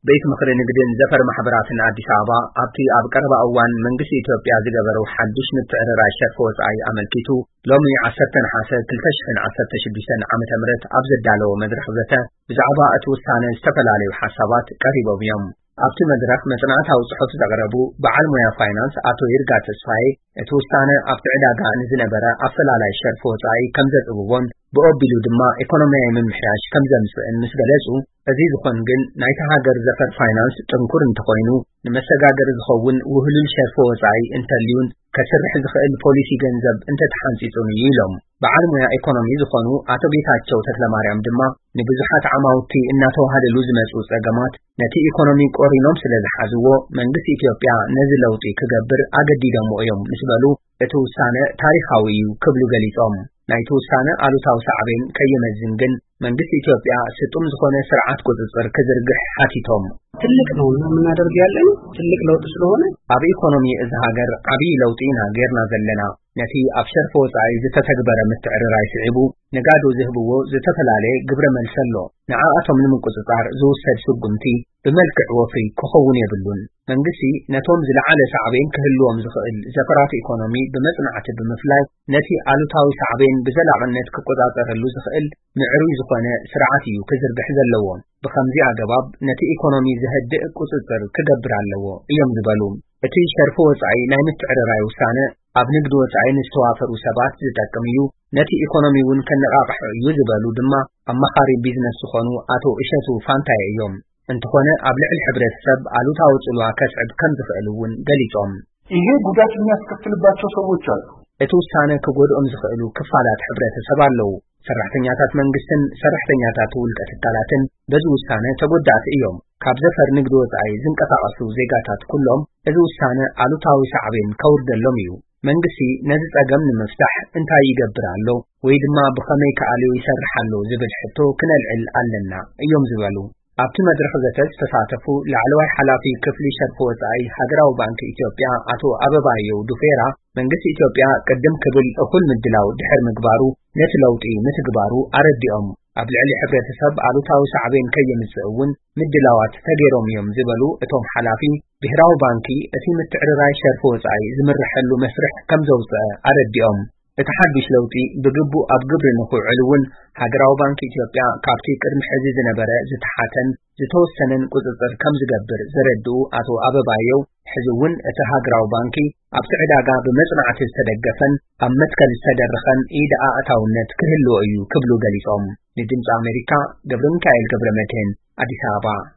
ቤት ምኽሪ ንግድን ዘፈር ማሕበራትን ኣዲስ ኣበባ ኣብቲ ኣብ ቀረባ እዋን መንግስቲ ኢትዮጵያ ዝገበረው ሓድሽ ምትዕርራይ ሸርፊ ወጻኢ ኣመልኪቱ ሎሚ ዓሰርተ ነሓሰ ክልተ ሽሕን ዓሰርተ ሽዱሽተን ዓመተ ምህረት ኣብ ዘዳለዎ መድረኽ ዘተ ብዛዕባ እቲ ውሳነ ዝተፈላለዩ ሓሳባት ቀሪቦም እዮም። ኣብቲ መድረኽ መጽናዕታዊ ጽሑፍ ዘቕረቡ በዓል ሞያ ፋይናንስ ኣቶ ይርጋ ተስፋዬ እቲ ውሳነ ኣብቲ ዕዳጋ ንዝነበረ ኣፈላላይ ሸርፊ ወጻኢ ከም ዘጽብቦን ብኦቢሉ ድማ ኢኮኖሚያዊ ምምሕያሽ ከም ዘምጽእን ምስ ገለጹ፣ እዚ ዝኾን ግን ናይታ ሃገር ዘፈር ፋይናንስ ጥንኩር እንተኾይኑ ንመሰጋገሪ ዝኸውን ውህሉል ሸርፊ ወጻኢ እንተልዩን ከስርሕ ዝኽእል ፖሊሲ ገንዘብ እንተተሓንጺጹን እዩ ኢሎም። በዓል ሞያ ኢኮኖሚ ዝኾኑ ኣቶ ጌታቸው ተክለማርያም ድማ ንብዙሓት ዓማውቲ እናተዋሃደሉ ዝመጹ ጸገማት ነቲ ኢኮኖሚ ቆሪኖም ስለ ዝሓዝዎ መንግስቲ ኢትዮጵያ ነዚ ለውጢ ክገብር ኣገዲዶሞ እዮም ምስ በሉ እቲ ውሳነ ታሪኻዊ እዩ ክብሉ ገሊጾም። ናይቲ ውሳነ ኣሉታዊ ሳዕቤን ከየመዝን ግን መንግስቲ ኢትዮጵያ ስጡም ዝኾነ ስርዓት ቁጽጽር ክዝርግሕ ሓቲቶም። ትልቅ ነው የምናደርግ ያለን ትልቅ ለውጥ ስለሆነ ኣብ ኢኮኖሚ እዚ ሃገር ዓብዪ ለውጢ ኢና ጌርና ዘለና። ነቲ ኣብ ሸርፊ ወጻኢ ዝተተግበረ ምትዕርራይ ስዒቡ ነጋዶ ዝህብዎ ዝተፈላለየ ግብረ መልሲ ኣሎ። ንዓኣቶም ንምቁጽጻር ዝውሰድ ስጉምቲ ብመልክዕ ወፍሪ ክኸውን የብሉን። መንግስቲ ነቶም ዝለዓለ ሳዕቤን ክህልዎም ዝኽእል ዘፈራት ኢኮኖሚ ብመጽናዕቲ ብምፍላይ ነቲ ኣሉታዊ ሳዕቤን ብዘላቕነት ክቆጻጸረሉ ዝኽእል ምዕሩይ ዝኾነ ስርዓት እዩ ክዝርግሕ ዘለዎ። ብኸምዚ ኣገባብ ነቲ ኢኮኖሚ ዘህድእ ቁጽጽር ክገብር ኣለዎ እዮም ዝበሉ። እቲ ሸርፊ ወጻኢ ናይ ምትዕርራይ ውሳነ ኣብ ንግዲ ወጻኢ ንዝተዋፈሩ ሰባት ዝጠቅም እዩ፣ ነቲ ኢኮኖሚ እውን ከነቓቕሖ እዩ ዝበሉ ድማ ኣማኻሪ ቢዝነስ ዝኾኑ ኣቶ እሸቱ ፋንታየ እዮም። እንተኾነ ኣብ ልዕሊ ሕብረተሰብ ኣሉታዊ ጽልዋ ከስዕብ ከም ዝኽእል እውን ገሊጾም። ይሄ ጉዳት የሚያስከትልባቸው ሰዎች አሉ። እቲ ውሳነ ክጎድኦም ዝኽእሉ ክፋላት ሕብረተሰብ ኣለዉ። ሰራሕተኛታት መንግስትን ሰራሕተኛታት ውልቀ ትካላትን በዚ ውሳነ ተጎዳእቲ እዮም። ካብ ዘፈር ንግዲ ወጻኢ ዝንቀሳቐሱ ዜጋታት ኩሎም እዚ ውሳነ ኣሉታዊ ሳዕቤን ከውርደሎም እዩ። መንግስቲ ነዚ ጸገም ንምፍታሕ እንታይ ይገብር ኣሎ ወይ ድማ ብኸመይ ክኣልዮ ይሰርሕ ኣሎ ዝብል ሕቶ ክነልዕል ኣለና እዮም ዝበሉ። ኣብቲ መድረኽ ዘተ ዝተሳተፉ ላዕለዋይ ሓላፊ ክፍሊ ሸርፊ ወጻኢ ሃገራዊ ባንኪ ኢትዮጵያ ኣቶ ኣበባየው ዱፌራ መንግስቲ ኢትዮጵያ ቅድም ክብል እኹል ምድላው ድሕር ምግባሩ ነቲ ለውጢ ምትግባሩ ኣረዲኦም። ኣብ ልዕሊ ሕብረተሰብ ኣሉታዊ ሳዕቤን ከየምጽእ እውን ምድላዋት ተገይሮም እዮም ዝበሉ እቶም ሓላፊ፣ ብሄራዊ ባንኪ እቲ ምትዕርራይ ሸርፊ ወጻኢ ዝምርሐሉ መስርሕ ከም ዘውጽአ ኣረዲኦም። እቲ ሓዱሽ ለውጢ ብግቡእ ኣብ ግብሪ ንኽውዕል እውን ሃገራዊ ባንኪ ኢትዮጵያ ካብቲ ቅድሚ ሕዚ ዝነበረ ዝተሓተን ዝተወሰነን ቁጽጽር ከም ዝገብር ዘረድኡ ኣቶ ኣበባየው፣ ሕዚ እውን እቲ ሃገራዊ ባንኪ ኣብቲ ዕዳጋ ብመጽናዕቲ ዝተደገፈን ኣብ መትከል ዝተደረኸን ኢድ ኣእታውነት ክህልዎ እዩ ክብሉ ገሊጾም። ንድምጺ ኣሜሪካ ገብረ ሚካኤል ገብረ መድህን ኣዲስ ኣበባ።